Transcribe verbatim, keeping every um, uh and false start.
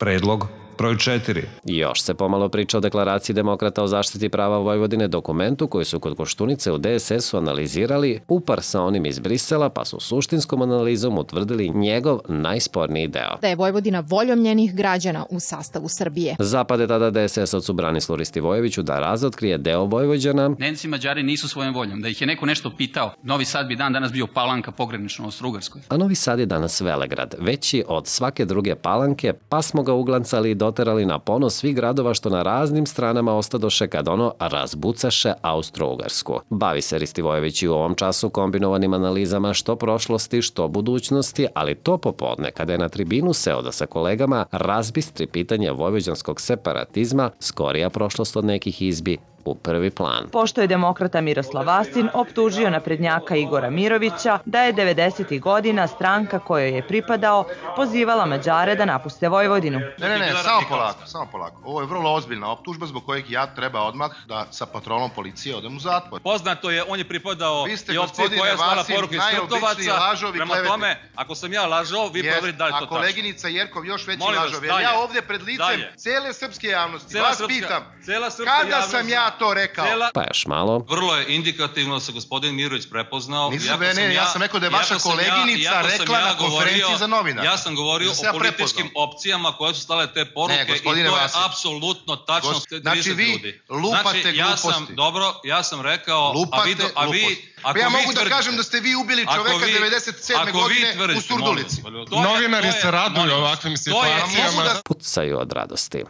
Predlog broj četiri. Još se pomalo priča o deklaraciji demokrata o zaštiti prava Vojvodine, dokumentu koji su kod Koštunice u D S S-u analizirali upar sa onim iz Brisela, pa su suštinskom analizom utvrdili njegov najsporniji deo. Da je Vojvodina voljom njenih građana u sastavu Srbije. Zapade tada D S S-ovcu Branislavu Ristivojeviću da razotkrije deo Vojvođana. Nemci i Mađari nisu svojom voljom. Da ih je neko nešto pitao, Novi Sad bi dan danas bio Palanka pogranično Austro-Ugarskoj. A Novi Sad je danas Velegrad, veći od svake druge Palanke, pa smo ga uglancali i doterali na ponos svih gradova što na raznim stranama ostadoše kad ono razbucaše Austro-Ugarsku. Bavi se Ristivojević i u ovom času kombinovanim analizama što prošlosti, što budućnosti, ali to popodne, kada je na tribinu seo da sa kolegama razbistri pitanje vojvođanskog separatizma, skorija prošlost od nekih izbi u prvi plan. Pošto je demokrata Miroslav Vastin optužio naprednjaka Igora Mirovića da je devedesetih godina stranka kojoj je pripadao pozivala Mađare da napuste Vojvodinu. Ne, ne, ne, samo polako, samo polako. Ovo je vrlo ozbiljna optužba zbog kojeg ja treba odmah da sa patronom policije odem u zatvor. Poznato je, on je pripadao i opcije koja je slala poruke iz Krtovaca. Prema tome, ako sam ja lažao, vi proverite da li to tačno. A koleginica Jerkov još veći lažov. Jer ja ovdje pred licem cele srpske javnosti vas pitam, kada sam ja to rekao? Pa još malo. Vrlo je indikativno da se gospodin Mirović prepoznao. Nisam, ne, ja sam rekao da je vaša koleginica rekla na konferenciji za novinara. Ja sam govorio o političkim opcijama koje su stale te poruke i to je apsolutno tačno. Znači vi lupate gluposti. Dobro, ja sam rekao, a vi... Ja mogu da kažem da ste vi ubili čoveka devedeset sedme godine u Surdulici. Novinari se raduju ovakvim situacijama. Pucaju od radosti.